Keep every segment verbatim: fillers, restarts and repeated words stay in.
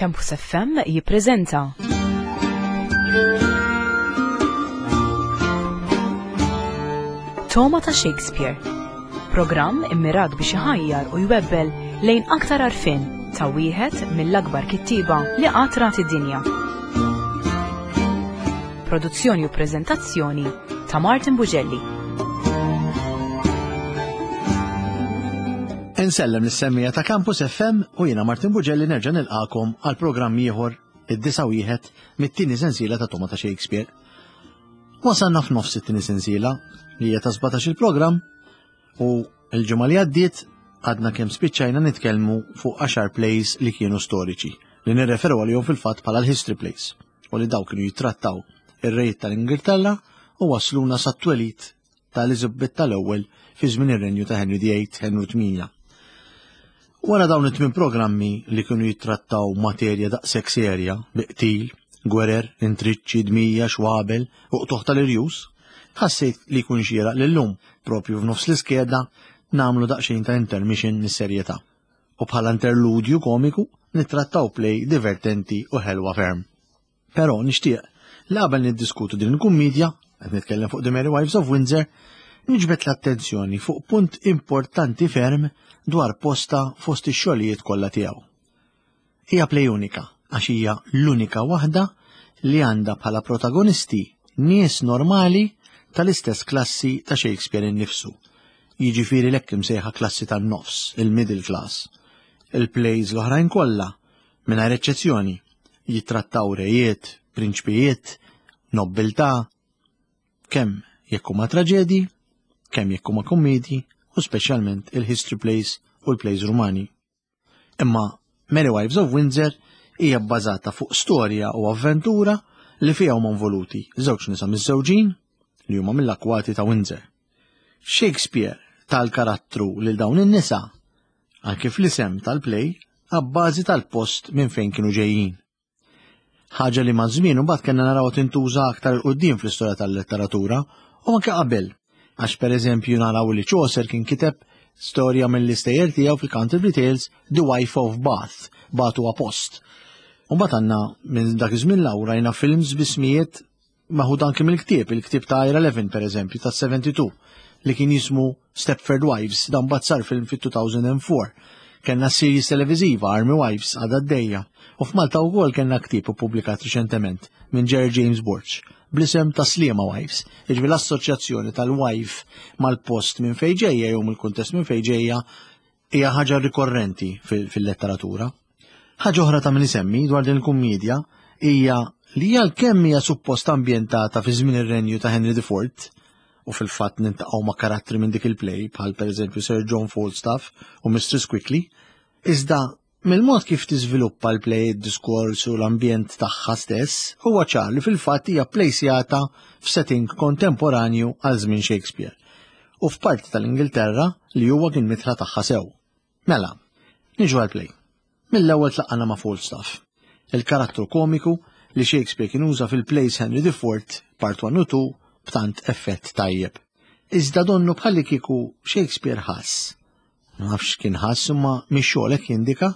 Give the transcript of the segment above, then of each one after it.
Campus F M jippreżenta Togħma ta' Shakespeare. Programm immirat biex iħajjar u jwebbel lejn aktar għarfien ta' wieħed mill-akbar kittieba li qatt rat id-dinja. Produzzjoni u preżentazzjoni ta' Martin Bugelli. Insellem lis-semmiegħa ta' Campus F M u jiena Martin Bugelli nerġa' nilqakom għal programm ieħor, id-disa' wieħed mit-tieni sensiela ta' Togħma ta' Shakespeare. Wasalna f'nofs it-tieni sensiela li hija ta' sbatax il-programm u l-ġimgħa li għaddiet għadna kemm spiċċajna nitkellmu fuq għaxar plays li kienu storiċi li nirreferu għalihom fil-fatt bħala l-history plays u li daw kienu jittrattaw ir-rejt tal-Ingilterra u wasluna sat-twelid ta' Eliżabetta l-ewwel fi żmien ir-renju ta' Henry the Eighth, Henry tmienja. Wara dawn it-tmien programmi li kienu jittrattaw materja daqshekk serja bi qtil, gwerer, intriċċi, dmija, xwabel u qtuħ tal-irjus, ħassejt li jkun xieraq li llum, propju f'nofs l-iskeda, nagħmlu daqsxejn ta' intermission mis-serjetà. U bħala interludju komiku nittrattaw play divertenti u ħelwa ferm. Però nixtieq li qabel niddiskutu din il-kummedja, qed nitkellem fuq The Merry Wives of Windsor, niġbed l-attenzjoni fuq punt importanti ferm dwar posta fost ix-xogħlijiet kollha tiegħu. Hija play unika għax hija l-unika waħda li għandha bħala protagonisti nies normali tal-istess klassi ta' Shakespeare innifsu. Jiġifieri l-hekk imsejħa klassi tan-nofs, il-middle class. Il-plays l-oħrajn kollha, mingħajr eċċezzjoni, jittrattaw rejiet, prinċpijiet, nobbiltà, kemm jekk huma traġedji, kemm jekk huma kommedji u speċjalment il-history plays u l-plays rumani. Imma Merry Wives of Windsor hija bbażata fuq storja u avventura li fiha huma involuti żewġ nisa miżżewġin li huma mill-akwati ta' Windsor. Shakespeare tal-karattru lil dawn in-nisa anke fl-isem tal-play abbażi tal-post minn fejn kienu ġejjin. Ħaġa li ma' żmien imbagħad kellna naraw tintuża aktar 'il quddiem fl-istorja tal-letteratura u anke qabel, għax pereżempju naraw li Chaucer kien kiteb storja mill-istejjer tiegħu fil-Canterbury Tales, The Wife of Bath, Bath huwa post. U mbagħad għandna minn dak iż-żmien 'l hawn rajna films b'ismijiet maħud anke mill-ktieb, il-ktieb ta' Ira Levin pereżempju ta' sebgħa u sebgħin li kien jismu Stepford Wives, dan mbagħad sar film fit-elfejn u erbgħa. Kellna series televiżiva Army Wives għadha għaddejja. U f'Malta wkoll kellna ktieb ippubblikat riċentement minn Jerry James Borg bl-isem ta' Sliema Wives, jiġifieri l-assoċjazzjoni tal-wife mal-post minn fejn ġejja jew mill-kuntest minn fejn ġejja hija ħaġa rikorrenti fil-letteratura. Ħaġa oħra ta' min isemmi dwar din il-kummedja hija li għalkemm hija suppost ambjentata fi żmien ir-renju ta' Henry the Fourth, u fil-fatt niltaqgħu ma' karattri minn dik il-play bħal pereżempju Sir John Falstaff u Mistress Quickly, iżda mill-mod kif tiżviluppa l-play, id-diskors u l-ambjent tagħha stess, huwa ċar li fil-fatt hija plejsjata f'setting kontemporanju għal żmien Shakespeare u f'parti tal-Ingilterra li huwa kien midħla tagħha sew. Mela, niġu għal-play. Mill-ewwel tlaqana ma' Falstaff, il-karattru komiku li Shakespeare kien uża fil-plays Henry the Fourth, Part one u two b'tant effett tajjeb. Iżda donnu bħalli kieku Shakespeare ħass. Ma nafx kien ħass imma mix-xogħol hekk jindika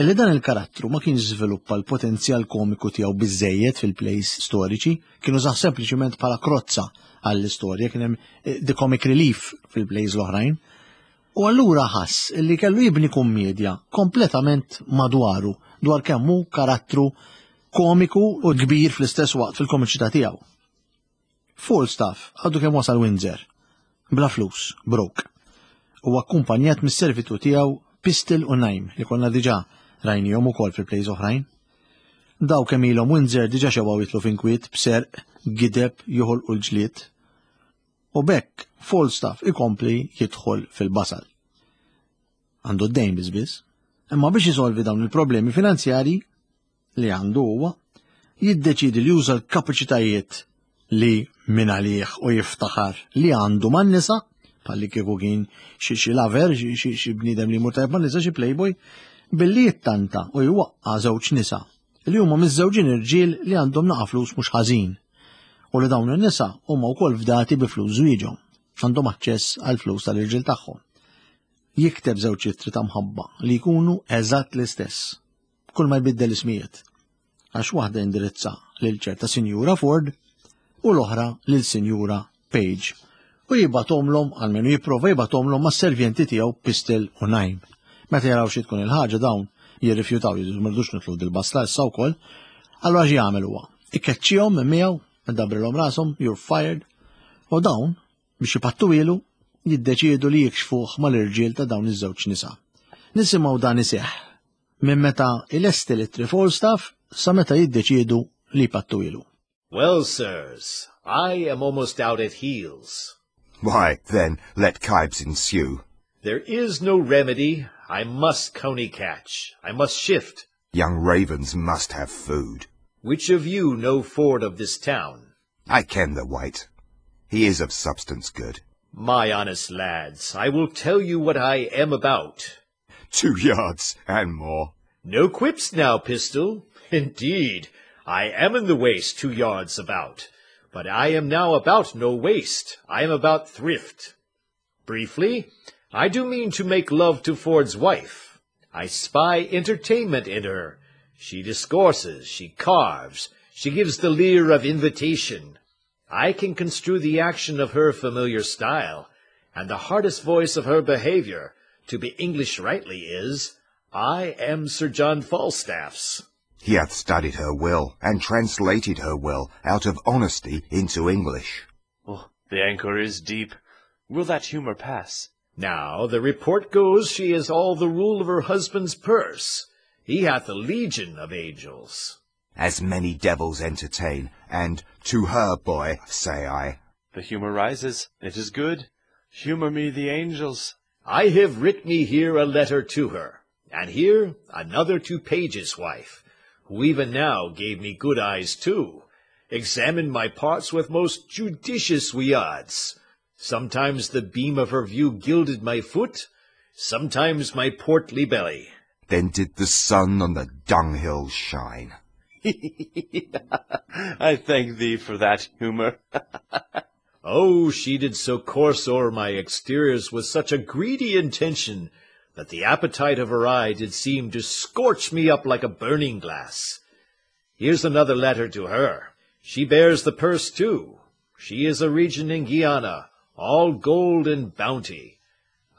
illi dan il-karattru ma kienx żviluppa l-potenzjal komiku tiegħu biżejjed fil-plays storiċi, kienu użah sempliċiment bħala krozza għall-istorja, kien hemm eh, the comic relief fil-plays l-oħrajn. U allura ħass illi kellu jibni kummedja kompletament madwaru dwar kemm hu karattru komiku u kbir fl-istess waqt fil-komiċità tiegħu. Falstaff għadu kemm wasal Windsor, bla flus, broke. U akkumpanjat mis-servitu tiegħu Pistol u Najm li konna diġà rajnihom ukoll fil-plays oħrajn. Daw kemm ilhom Windsor diġà xebgħu jidħlu f'inkwiet b'serq, gideb, joħolqu l-ġlied. U b'hekk Falstaff ikompli jidħol fil-basal. Għandu d-dejn biżbiż, imma biex jisolvi dawn il-problemi finanzjari li għandu huwa, jiddeċidi li juża l-kapaċitajiet li minn għalih u jiftaħar li għandu man-nisa, bħalli kieku kien xi xi lover, xi xi xi bniedem li jmur tajjeb man-nisa, xi playboy, billi jittanta u jwaqqa' żewġ nisa li huma miżżewġin irġiel li għandhom naqa' flus mhux ħażin. U li dawn in-nisa huma wkoll fdati bi flus żwieġhom, għandhom aċċess għal flus tal-irġiel tagħhom. Jikteb żewġ ittri ta' mħabba li jkunu eżatt l-istess. Kull ma jbiddel ismijiet. Għax waħda indirizza lil ċerta Sinjura Ford u l-oħra lil Sinjura Page. U jibgħathomlhom, almenu jipprova jibgħathomlhom mas-servjenti tiegħu Pistol u Nine. Meta jaraw xi tkun il-ħaġa dawn jirrifjutaw jgħidu ma rridux nidħlu dil-basla issa wkoll. Allura xi jagħmel huwa? Ikkeċċihom minn miegħu, idabrilhom rashom, you're fired. U dawn biex ipattuhielu jiddeċiedu li jikxfuh mal-irġiel ta' dawn iż-żewġ nisa. Nisimgħu dan iseħħ minn meta ilesti l Falstaff sa meta jiddeċiedu li jpattuhielu. Well, sirs, I am almost out at heels. Why, then, let kibes ensue. There is no remedy. I must coney catch. I must shift. Young ravens must have food. Which of you know Ford of this town? I ken the wight. He is of substance good. My honest lads, I will tell you what I am about. Two yards and more. No quips now, Pistol. Indeed, I am in the waist two yards about. But I am now about no waste. I am about thrift. Briefly, I do mean to make love to Ford's wife. I spy entertainment in her. She discourses, she carves, she gives the leer of invitation. I can construe the action of her familiar style, and the hardest voice of her behaviour, to be English rightly, is, I am Sir John Falstaff's. He hath studied her will, and translated her will out of honesty into English. Oh, the anchor is deep. Will that humour pass? Now the report goes she is all the rule of her husband's purse. He hath a legion of angels. As many devils entertain, and to her, boy, say I. The humour rises. It is good. Humour me the angels. I have writ me here a letter to her, and here another to Page's wife, who even now gave me good eyes too, examined my parts with most judicious weods. Sometimes the beam of her view gilded my foot, sometimes my portly belly. Then did the sun on the dunghill shine. I thank thee for that humour. Oh, she did so course o'er my exteriors with such a greedy intention that the appetite of her eye did seem to scorch me up like a burning glass. Here's another letter to her. She bears the purse too. She is a region in Guiana, all gold and bounty.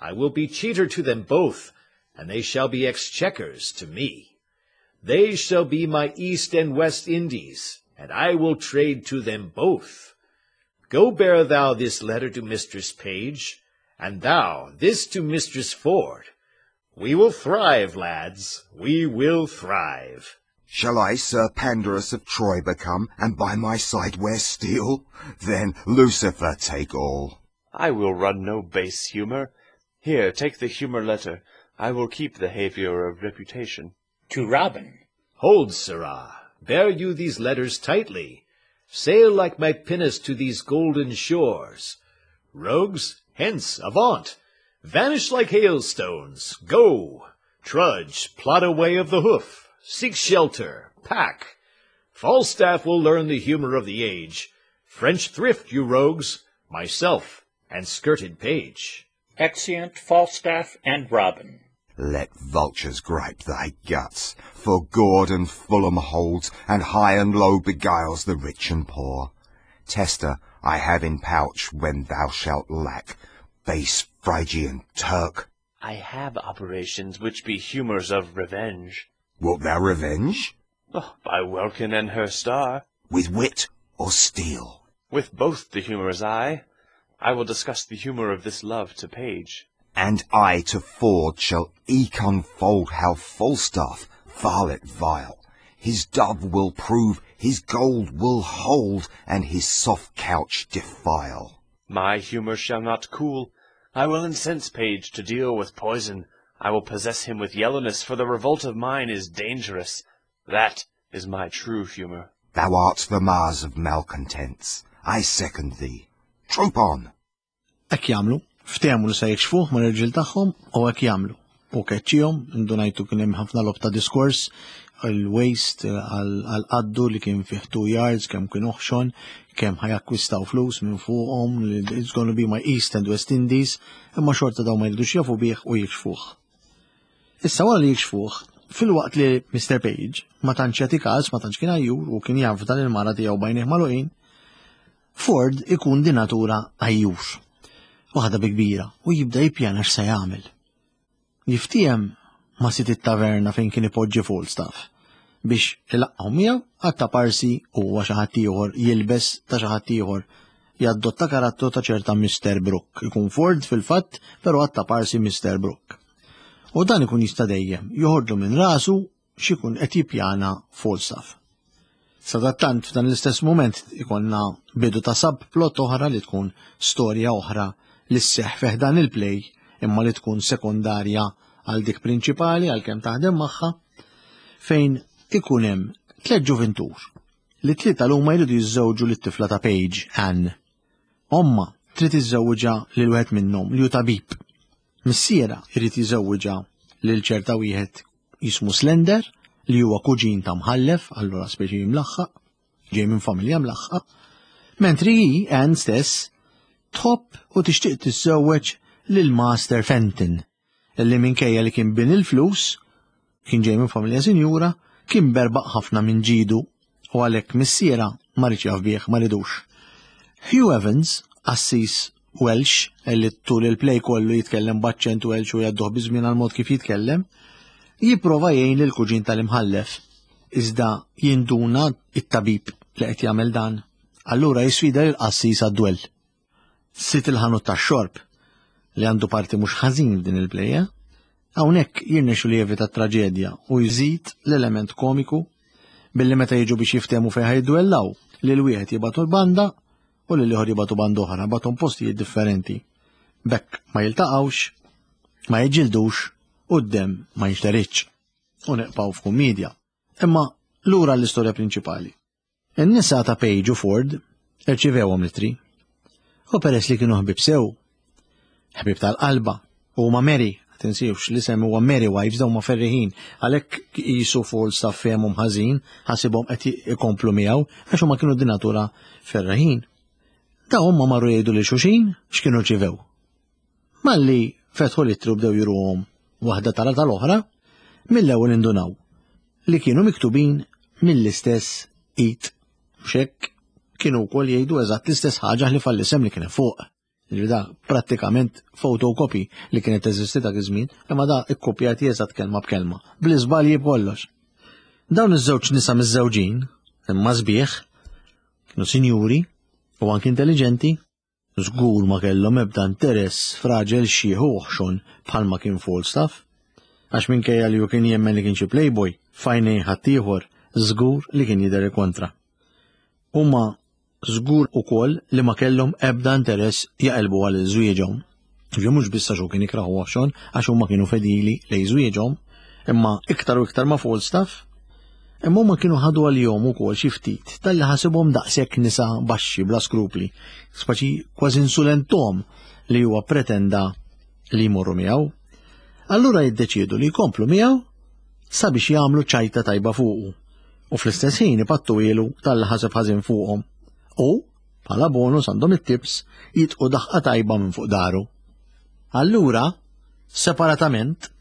I will be cheater to them both, and they shall be exchequers to me. They shall be my East and West Indies, and I will trade to them both. Go bear thou this letter to Mistress Page, and thou this to Mistress Ford. We will thrive, lads, we will thrive. Shall I Sir Pandarus of Troy become, and by my side wear steel? Then Lucifer take all. I will run no base humour. Here, take the humour letter. I will keep the haviour of reputation. To Robin. Hold, sirrah, bear you these letters tightly. Sail like my pinnace to these golden shores. Rogues, hence, avaunt! Vanish like hailstones! Go! Trudge, plod away of the hoof! Seek shelter! Pack! Falstaff will learn the humour of the age. French thrift, you rogues, myself and skirted Page. Exeunt Falstaff and Robin. Let vultures gripe thy guts, for Gordon Fulham holds, and high and low beguiles the rich and poor. Tester I have in pouch when thou shalt lack, base Phrygian Turk. I have operations which be humours of revenge. Wilt thou revenge? Oh, by Welkin and her star. With wit or steel? With both the humours I. I will discuss the humour of this love to Page. And I to Ford shall eke unfold how Falstaff, varlet vile, his dove will prove, his gold will hold, and his soft couch defile. My humour shall not cool. I will incense Page to deal with poison. I will possess him with yellowness, for the revolt of mine is dangerous. That is my true humour. Thou art the Mars of malcontents. I second thee. Troop on! Hekk jagħmlu, ftehmu li se jikxfuh mal-irġiel tagħhom u hekk jagħmlu. U keċċihom, indunajtu kien hemm ħafna logħob ta' diskors, il-waist għal-qaddu li kien fih two yards, kemm kien oħxon, kemm ħa jakkwistaw flus minn fuqhom, it's gonna be my East and West Indies, imma xorta daw ma jridux jafu bih u jikxfuh. Issa wara li jikxfuh, Filwaqt li Mister Page ma tantx jagħti każ, ma tantx kien għajjur u kien jaf dan il-mara tiegħu b'għajnejh magħluqin, Ford ikun di natura għajjur. Waħda bi kbira u jibda jippjana x'se jagħmel. Jiftiehem ma' sid it-taverna fejn kien ipoġġi Falstaff biex ilaqqgħu miegħu għatta parsi huwa xi ħadd ieħor jilbes ta' xi ħadd ieħor jaddotta karattru ta' ċerta Mister Brook. Ikun Ford fil-fatt, però għatta parsi Mister Brook. U dan ikun jista' dejjem joħorġu minn rasu x'ikun qed jippjana Falstaff. Sadattant f'dan l-istess mument ikonna bidu ta' subplot oħra li tkun storja oħra li sseħħ fih dan il-play imma li tkun sekondarja għal dik prinċipali għalkemm taħdem magħha, fejn ikun hemm tliet ġuvintur li tlieta l-huma jridu jiżżewġu lit-tifla ta' Page, Anne. Omma trid iżżewġha lil wieħed minnhom li hu tabib. Missiera jrid jiżewġha lil ċerta wieħed jismu Slender li huwa kuġin ta' mħallef, allura speċi mlaħħaq, ġej minn familja mlaħħaq, mentri hi, Anne stess, tħobb u tixtieq tiżżewweġ lil Master Fenton, illi minkejja li kien bin il-flus, kien ġej minn familja sinjura, kien berbaq ħafna minn ġidu u għalhekk missiera ma riedx jaf bih, ma ridux. Hugh Evans, qassis Welsh, illi tul il-play kollu jitkellem b'aċċent Welsh u jgħadduh biżmien għal mod kif jitkellem, jipprova jgħin lil kuġin tal-imħallef, iżda jinduna it-tabib li qed jagħmel dan. Allura jisfida lil qassis għad-dwell. Sit il-ħanut tax-xorb li għandu parti mhux ħażin f'din il-play, hawnhekk jirnexxu li jevita traġedja u jżid l-element komiku billi meta jiġu biex jiftehmu fejn ħajdwellaw lil wieħed jibgħatu l-banda u lil ieħor jibgħatu banda oħra, bagħthom postijiet differenti. Bekk ma jiltaqgħux, ma jiġġildux u d-demm ma jinxteritx. U neqpaw f'kummedja. Imma lura l-istorja prinċipali. In-nisa ta' Page u Ford irċivewhom l-ittri. U peress li kienu ħbieb sew, ħbieb tal-qalba, u huma Mary, tinsewx li semmu huwa Merry Wives, dawn ma ferriħin, għalhekk qisu Falstaff fehmhom ħażin, ħasibhom qed ikomplu miegħu għax huma kienu di natura ferriħin. Dawn huma marru jgħidu lil xulxin x'kienu rċivew. Malli fetħu l-ittri u bdew juruhom waħda tara tal-oħra, mill-ewwel indunaw li kienu miktubin mill-istess id. Mhux hekk kienu wkoll jgħidu eżatt l-istess ħaġa li fall-isem li kien fuq. Ġifieri da prattikament photocopy li kienet teżisti dak iż-żmien, imma da ikkopjati eżatt kelma b'kelma, bl-iżbalji b'kollox. Dawn iż-żewġ nisa miż-żewġin, imma sbieħ, kienu sinjuri u anki intelligenti, żgur ma kellhom ebda interess f'raġel xieħ u oħxon bħalma kien Falstaff, għax minkejja li hu kien jemmen li kien xi playboy, f'għajnejn ħaddieħor żgur li kien jidher kontra. Huma żgur ukoll li ma kellhom ebda interess jaqilbu għal żwieġhom. Ġifieri mhux biss għax hu kien ikraħu oħxon, għax huma kienu fedili lejn żwieġhom, imma iktar u iktar ma' Falstaff. Imma huma kienu ħadu għalihom ukoll xi ftit talli ħasibhom daqshekk nisa baxxi bla skrupli, spaċi kważi insulentom li huwa pretenda li jmorru miegħu. Allura jiddeċiedu li jkomplu miegħu sabiex jagħmlu ċajta tajba fuqu u fl-istess ħin ipattu ilu talli ħaseb ħażin fuqhom. U, bħala bonus għandhom it-tips, jitqu daħqa tajba minn fuq daru. Allura, separatament,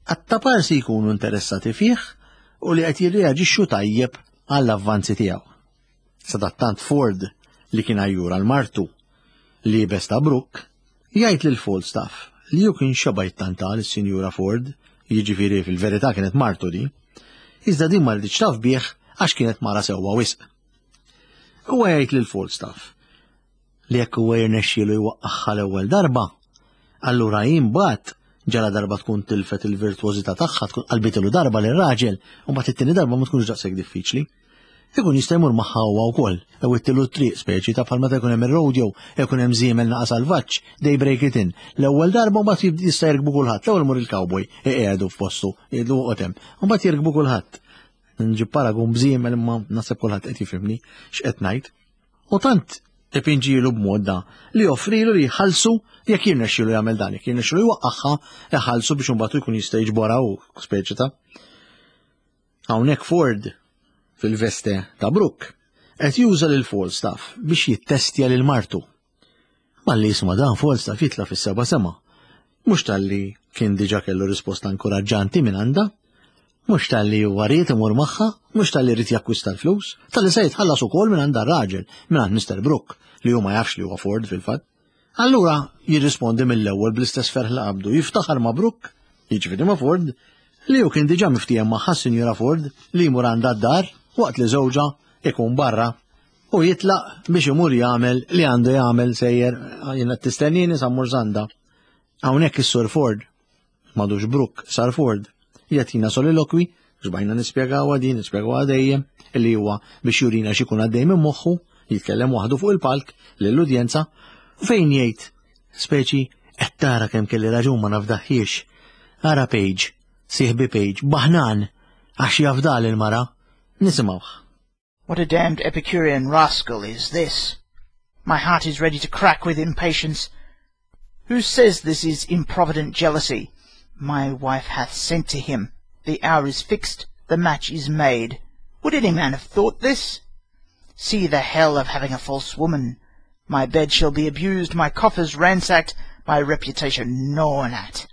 għattaparsi jkunu interessati fih u li qed jirreaġixxu tajjeb għall-avvanzi tiegħu. Sadattant Ford, li kien għajjur għal martu, liebes ta' Brook, jgħid lil Falstaff li hu kien xeba' jittanta lis-Sinjura Ford, jiġifieri fil-verità kienet martu di, iżda din ma riditx taf bih għax kienet mara sewwa wisq. Huwa jgħid lil Falstaff li jekk huwa jirnexxielu jwaqqagħha l-ewwel darba, allura hi mbagħad ġala darba tkun tilfet il-virtuożità tagħha, tkun qalbitilu darba lir-raġel, u mbagħad it-tieni darba ma tkunx daqshekk diffiċli. Ikun jista' jmur magħha huwa wkoll, jew ittilu t-triq speċi ta' bħal meta jkun hemm ir-rodeo, jkun hemm żiemel naqa' salvaġġ, they break it in. L-ewwel darba mbagħad jista' jirkbu kulħadd, l-ewwel imur il-cowboy, iqiegħdu f'postu, jgħidlu oqgħod hemm, u mbagħad jirkbu kulħadd. Nġib paragun bżiemel imma naħseb kulħadd qed jifhimni x'qed ngħid. U tant ipinġilu b'mod da li joffrilu li jħallsu jekk jirnexxielu jagħmel dan, jekk jirnexxielu jwaqqagħha iħallsu biex imbagħad jkun jista' jiġborha hu speċi ta'. Hawnhekk Ford fil-veste ta' Brook qed juża lil Falstaff biex jittestja lil martu. Malli jisma' dan Falstaff jitla' fis-seba' sema. Mhux talli kien diġà kellu risposta inkoraġġanti minn għandha, Mhux talli huwa ried imur magħha, mhux talli ried jakkwista l-flus, talli se jitħallas ukoll minn għand raġel, minn għand Mister Brooke, li hu ma jafx li huwa Ford fil-fatt. Allura jirrispondi mill-ewwel bl-istess ferħ li qabdu, jiftaħar ma' Brooke, jiġifieri ma' Ford, li hu kien diġà miftiehem magħha Sinjura Ford li jmur għandha d-dar waqt li żewġha ikun barra u jitlaq biex imur jagħmel li għandu jagħmel sejjer jiena tistennini sa mmur s'għandha. Hawnhekk is-Sur Ford, m'għadux Brooke, sar Ford, jagħtina solilokwi, xbajna nispjegawha din, nispjegawha dejjem, illi huwa biex jurina x'ikun għaddej minn moħħu, jitkellem waħdu fuq il-palk lill-udjenza, u fejn jgħid, speċi, qed tara kemm kelli raġun ma nafdaħħiex. Ara Page, sieħbi Page, baħnan, għax jafdal il-mara, nisimgħuh. What a damned Epicurean rascal is this! My heart is ready to crack with impatience. Who says this is improvident jealousy? My wife hath sent to him. The hour is fixed, the match is made. Would any man have thought this? See the hell of having a false woman. My bed shall be abused, my coffers ransacked, my reputation gnawn at.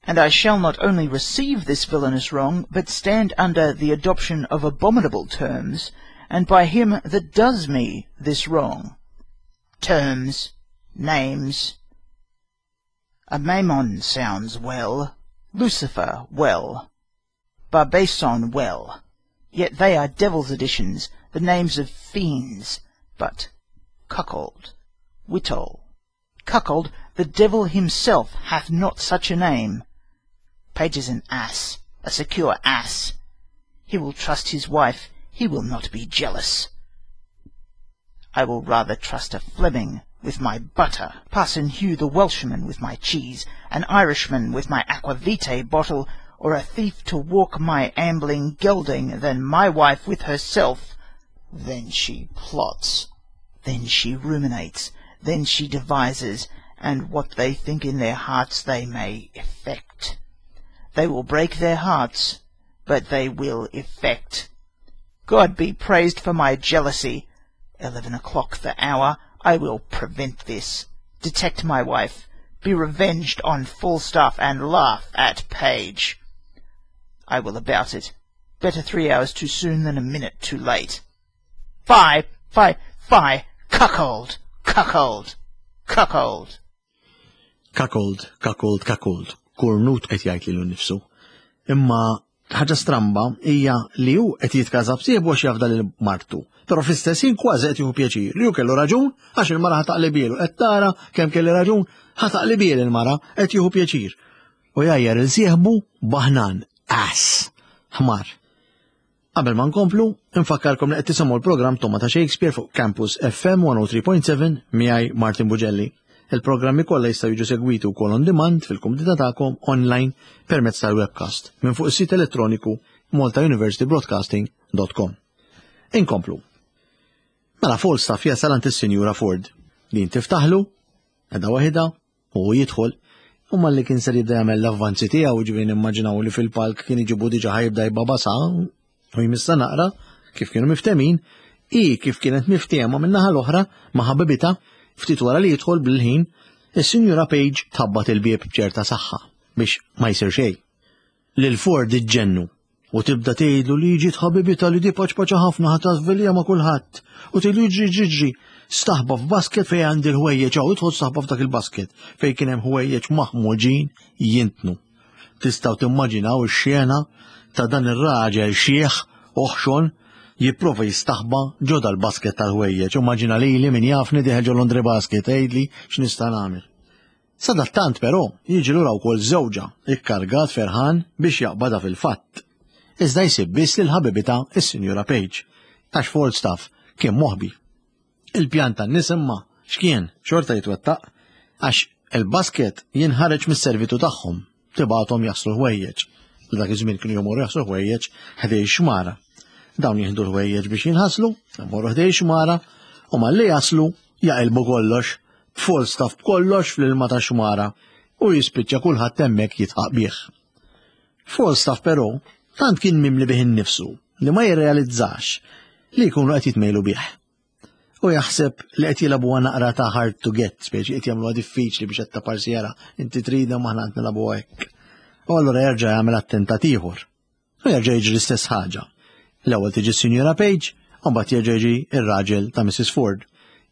And I shall not only receive this villainous wrong, but stand under the adoption of abominable terms, and by him that does me this wrong. Terms, names. A Mammon sounds well, Lucifer well, Barbason well, yet they are devil's additions, the names of fiends. But cuckold, wittol, cuckold, the devil himself hath not such a name. Page is an ass, a secure ass. He will trust his wife, he will not be jealous. I will rather trust a Fleming with my butter, Parson Hugh the Welshman with my cheese, an Irishman with my aqua vitae bottle, or a thief to walk my ambling gelding, than my wife with herself. Then she plots, then she ruminates, then she devises, and what they think in their hearts they may effect. They will break their hearts, but they will effect. God be praised for my jealousy. Eleven o'clock the hour. I will prevent this. Detect my wife, be revenged on Falstaff, and laugh at Page. I will about it. Better three hours too soon than a minute too late. Fie, fie, fie, cuckold, cuckold, cuckold. Cuckold, cuckold, cuckold. Kurnut qed jgħid lilu nnifsu. Imma ħaġa stramba hija li hu qed jitkaża b'sieħbu għax jafda lil martu. Però fl-istess ħin kważi qed jieħu pjaċir li hu kellu raġun għax il-mara ħa taqlibielu. Qed tara kemm kelli raġun ħa taqlibiel il-mara qed jieħu pjaċir. U jgħajjar il sieħbu baħnan, ass, ħmar. Qabel ma nkomplu, infakkarkom li qed tisimgħu l-programm Togħma ta' Shakespeare fuq Campus F M one oh three point seven miegħi Martin Bugelli. Il-programmi kollha jistgħu jiġu segwiti wkoll on demand fil-kumdità tagħkom online permezz tal-webcast minn fuq is-sit elettroniku malta university broadcasting dot com. Inkomplu. Mela Falstaff jasal għand is-Sinjura Ford. Din tiftaħlu, qiegħda waħidha, u jidħol. U malli kien ser jibda jagħmel l-avvanzi tiegħu, ġifieri nimmaġinaw li fil-palk kien iġibu diġà ħa jibda jbabasa u jmissa naqra kif kienu miftemin, i kif kienet miftehma min-naħa l-oħra ma' ħabibita ftit wara li jidħol bil-ħin, is-Sinjura Page tabbat il-bieb b'ċerta saħħa biex ma jsir xejn. Lil Ford iġġennu u tibda tgħidlu li ġiet ħabibita li di paċpaċa ħafna ħa tażvelja ma' kulħadd u tgħidlu ġri ġri ġri staħba f'basket fejn għandi l-ħwejjeġ hawn, idħol staħba f'dak il-basket fejn kien hemm ħwejjeġ maħmuġin jintnu. Tistgħu timmaġinaw ix-xena ta' dan ir-raġel xieħ oħxon jipprova jistaħba ġo dal-basket tal-ħwejjeġ. Immaġina lili min jafni dieħel ġo laundry basket, għidli x'nista' nagħmel. Sadattant però jiġi lura wkoll żewġha ikkargat ferħan biex jaqbadha fil-fatt. Iżda jsib biss lil ħabibita is-Sinjura Page, għax Falstaff kien moħbi. Il-pjan tan-nies imma x'kien xorta jitwettaq għax il-basket jinħareġ mis-servitu tagħhom, tibgħathom jaħslu ħwejjeġ. Dak iż-żmien kienu jmorru jaħslu ħwejjeġ ħdej xmara. Dawn jieħdu l-ħwejjeġ biex jinħaslu, jmorru ħdej xmara u malli jaslu jaqilbu kollox, Falstaff b'kollox fl-ilma ta' xmara u jispiċċa kulħadd hemmhekk jitħaq bih. Falstaff però tant kien mimli bih innifsu li ma jirrealizzax li jkunu qed jitmejlu bih. U jaħseb li qed jilagħbuha naqra ta' hard to get, speċi qed jagħmluha diffiċli biex qed ta' parsjera, inti trida maħna qed nilagħbuha hekk. U allura jerġa' jagħmel attentat ieħor. U jerġa' jiġri l-istess ħaġa. L-ewwel tiġi s-Sinjura Page, u mbagħad jerġa' jiġi ir-raġel ta' Missus Ford.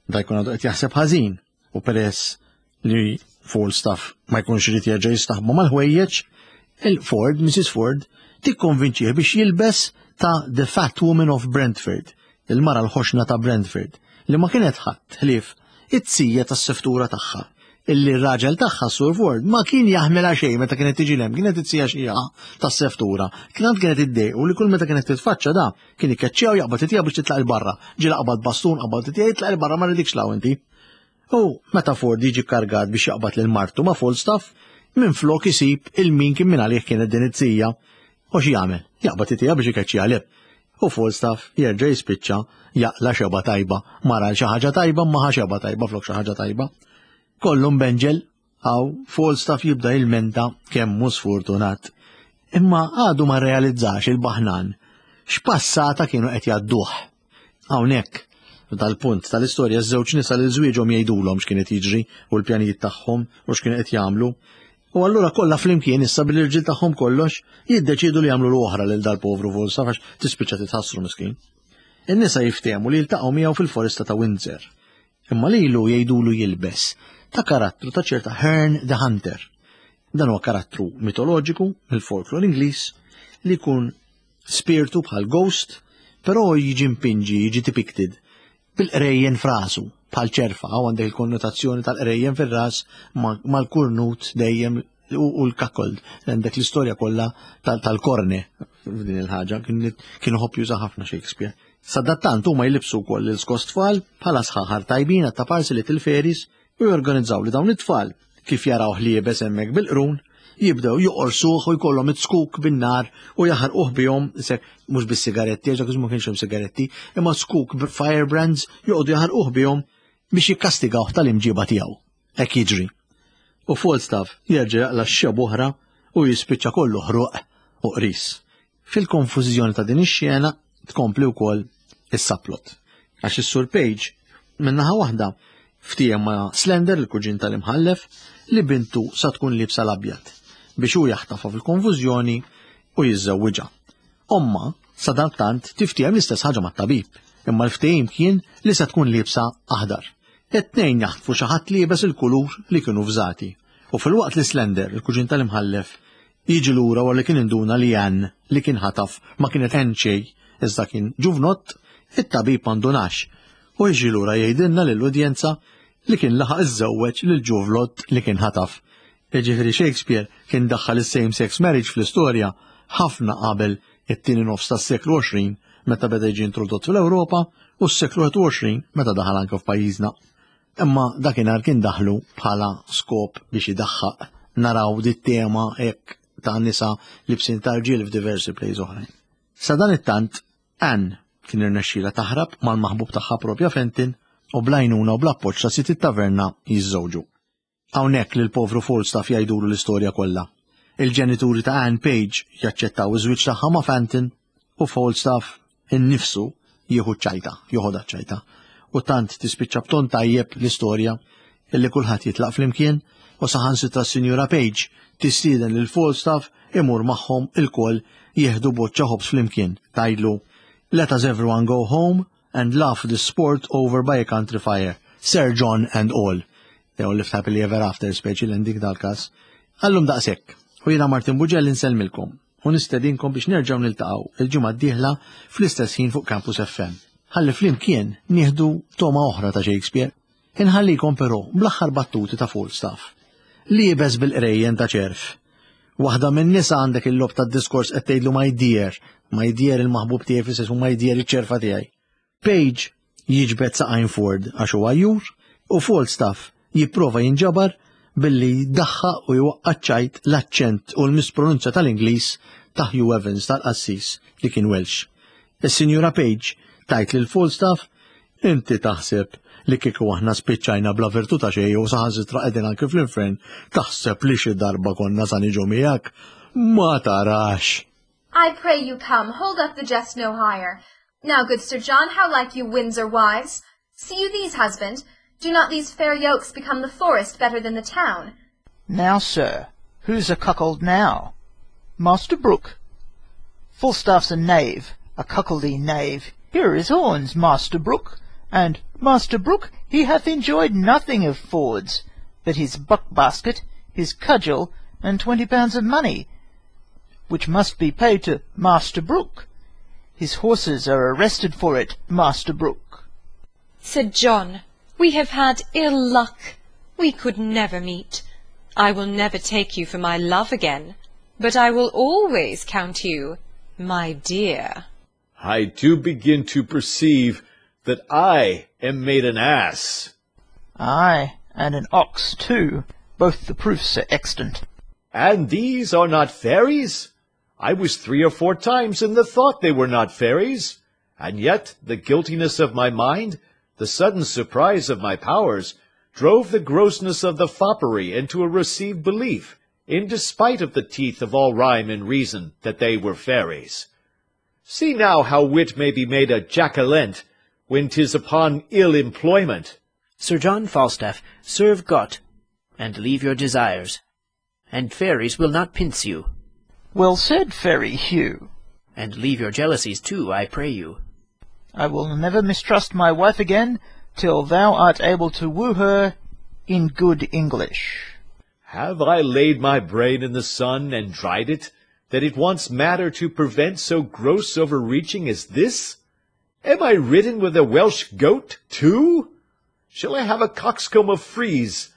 Da jkun għadu qed jaħseb ħażin u peress li Falstaff ma jkunx irid jerġa' jistaħbu mal-ħwejjeġ, il-Ford, Missus Ford, tikkonvinċih biex jilbes ta' The Fat Woman of Brentford, il-mara l-ħoxna ta' Brentford, li ma kienet ħadd ħlief it-sija tas-seftura tagħha. Illi r-raġel tagħha Sur Ford ma kien jaħmilha xejn meta kienet tiġi lem, kienet it-sija xija tas-seftura. Kienet kienet iddejqu li kull meta kienet titfaċċa da kien ikkeċċew jaqbad it biex titlaq il-barra. Ġiela qabad bastun qabad it jitlaq il-barra ma rridikx law inti. U meta Ford jiġi kargat biex jaqbad lil martu ma' Falstaff, minn flok isib il-min kien minn għalih kienet din it-sija. U xi jagħmel? Jaqbad it biex ikeċċi għalih. U Falstaff jerġa' jispiċċa jaqla xeba tajba, mara xi ħaġa tajba ma xeba tajba flok xi ħaġa tajba. Kollu mbenġel, għaw Falstaff jibda jilmenta kemm hu sfortunat. Imma għadu ma realizzax il-baħnan x'passata kienu qed jgħadduh. Hawnhekk, dal-punt tal-istorja ż-żewġ nisa li żwieġhom jgħidulhom x'kien qed jiġri u l-pjanijiet tagħhom u x'kienu qed jagħmlu. U allura kollha flimkien issa bil-irġiel tagħhom kollox jiddeċidu li jagħmlu l-oħra lil dal-povru Falstaff għax tispiċċa titħassru miskin. In-nisa jiftehmu li jiltaqgħu miegħu fil-foresta ta' Windsor. Imma lilu jgħidulu jilbes ta' karattru ta' ċerta Herne the Hunter. Dan huwa karattru mitoloġiku mill-folklor Ingliż li jkun spiritu bħal ghost, però jiġi mpinġi, jiġi depicted bil-qrejjen frasu, bħal ċerfa, għaw għandek il-konnotazzjoni tal-qrejjen fir-ras mal-kurnut dejjem u l-kakold. Għandek l-istorja kollha tal-korne f'din il-ħaġa, kienu ħobb juża ħafna Shakespeare. Sadattant huma jlibsu wkoll l-iskos tfal bħala sħaħar tajbin għat-taparsi li til-feris u jorganizzaw li dawn it-tfal kif jaraw ħliebes hemmhekk bil-qrun jibdew joqorsuh u jkollhom it-skuk bin-nar u jaħarquh bihom, mhux bis-sigaretti, għax ma kienx hemm sigaretti, imma skuk firebrands joqogħdu jaħarquh bihom biex jikkastigawh tal-imġiba tiegħu. Hekk jiġri. U Falstaff jerġa' jaqla' x-xeb oħra u jispiċċa kollu ħruq u qris. Fil-konfużjoni ta' din ix-xena tkompli wkoll is-subplot. Għax is-Sur Page min-naħa waħda ftiehem ma' Slender, il-kuġin tal-imħallef, li bintu sa tkun libsa l-abjad biex hu jaħtafha fil-konfużjoni u jiżżewwiġha. Omma sadattant tiftiehem l-istess ħaġa mat-tabib, imma l-ftehim kien li se tkun libsa aħdar. It-tnejn jaħtfu xi ħadd liebes il-kulur li kienu fżati. U fil-waqt li Slender, il-kuġin tal-imħallef, jiġi lura wara li kien induna li Ann li kien ħataf ma kienet Ann xejn, iżda kien ġuvnott, it-tabib ma ndunax u jiġi lura jgħidilna lill-udjenza li kien laħaq iżżewweġ lil ġuvlott li kien ħataf. Jiġifieri Shakespeare kien daħħal is-same-sex marriage fl-istorja ħafna qabel it-tieni nofs tas-seklu għoxrin meta beda jiġi introdott fl-Ewropa u s-seklu wieħed u għoxrin meta daħal anke f'pajjiżna. Imma dakinhar kien daħlu bħala skop biex idaħħaq naraw dit tema hekk ta' nisa libsin ta' rġiel f'diversi plays oħrajn. Sa dan it-tant, Anne kien irnexxielha taħrab mal-maħbub tagħha propja Fenton u blajnuna u bl-appoġġ ta' sit it-taverna jiżżewġu. Hawnhekk lil povru Falstaff jgħidulu l-istorja kollha. Il-ġenituri ta' Anne Page jaċċettaw iż-żwieġ tagħha ma' Fenton u Falstaff innifsu jieħu ċajta, joħodha ċajta. U tant tispiċċa b'ton tajjeb l-istorja illi kulħadd jitlaq flimkien u saħansitra s-Sinjura Page tistieden lil Falstaff imur magħhom ilkoll jieħdu boċċa ħobż flimkien. Tgħidlu, "Let us everyone go home and laugh the sport over by a country fire, Sir John and all." They all lived happily ever after, speċi l-ending dal-kas. Għallum daqshekk. U jiena Martin Buġell insellmilkom u nistedinkom biex nerġgħu niltaqgħu il-ġimgħa d-dieħla fl-istess ħin fuq Campus F M. Ħalli flimkien nieħdu toma oħra ta' Shakespeare. Inħallikom però bl-aħħar battuti ta' Falstaff. Liebes bil-qrejjen ta' ċerf. Waħda minn nisa għandek il-lob tad-diskors qed tgħidlu my dear, my dear il-maħbub tiegħi fis-sens u my dear iċ-ċerfa tiegħi. Page jiġbed saqajn Ford għax huwa jur u Falstaff jipprova jinġabar billi jdaħħaq u jwaqqa' ċajt l-aċċent u l-mispronunzja tal-Ingliż ta' Hugh Evans tal-qassis li kien Welsh. Is-Sinjura Page tajt lil Falstaff, "Inti taħseb li kieku aħna spiċċajna bla virtù ta' xejn u saħansitra qegħdin anke fl-infern, taħseb li xi darba konna sa niġu miegħek? Ma tarax." I pray you come, hold up the jest no higher. Now, good Sir John, how like you Windsor wives? See you these, husband? Do not these fair yokes become the forest better than the town? Now, sir, who's a cuckold now? Master Brook. Falstaff's a knave, a cuckoldy knave. Here are his horns, Master Brook. And, Master Brook, he hath enjoyed nothing of Ford's, but his buck-basket, his cudgel, and twenty pounds of money, which must be paid to Master Brook. His horses are arrested for it, Master Brook. Sir John, we have had ill luck. We could never meet. I will never take you for my love again, but I will always count you my dear. I do begin to perceive that I am made an ass. Aye, and an ox too. Both the proofs are extant. And these are not fairies? I was three or four times in the thought they were not fairies, and yet the guiltiness of my mind, the sudden surprise of my powers, drove the grossness of the foppery into a received belief, in despite of the teeth of all rhyme and reason, that they were fairies. See now how wit may be made a jack-o'-lent, when 'tis upon ill employment. Sir John Falstaff, serve God, and leave your desires, and fairies will not pince you. Well said, Fairy Hugh. And leave your jealousies too, I pray you. I will never mistrust my wife again till thou art able to woo her in good English. Have I laid my brain in the sun and dried it, that it wants matter to prevent so gross overreaching as this? Am I ridden with a Welsh goat, too? Shall I have a coxcomb of frieze?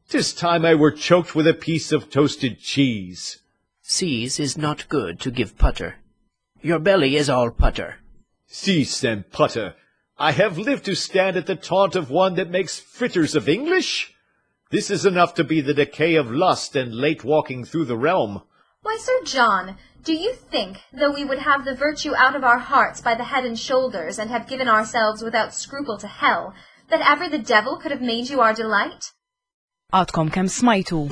'Tis time I were choked with a piece of toasted cheese. Seas is not good to give putter. Your belly is all putter. Cease and putter. I have lived to stand at the taunt of one that makes fritters of English. This is enough to be the decay of lust and late walking through the realm. Why, Sir John, do you think, though we would have the virtue out of our hearts by the head and shoulders, and have given ourselves without scruple to hell, that ever the devil could have made you our delight? Għadkom kemm smajtu.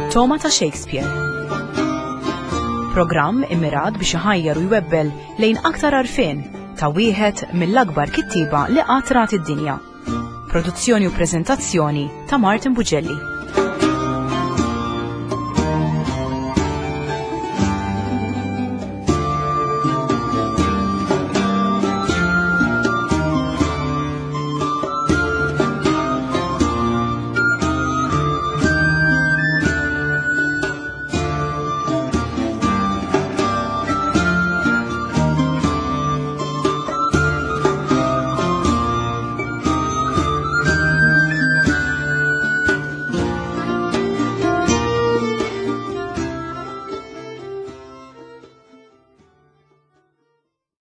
Togħma ta' Shakespeare. Programm immirat biex iħajjar u jwebbel lejn aktar għarfien ta' wieħed mill-akbar kittieba li qatt rat id-dinja. Produzzjoni u preżentazzjoni ta' Martin Bugelli.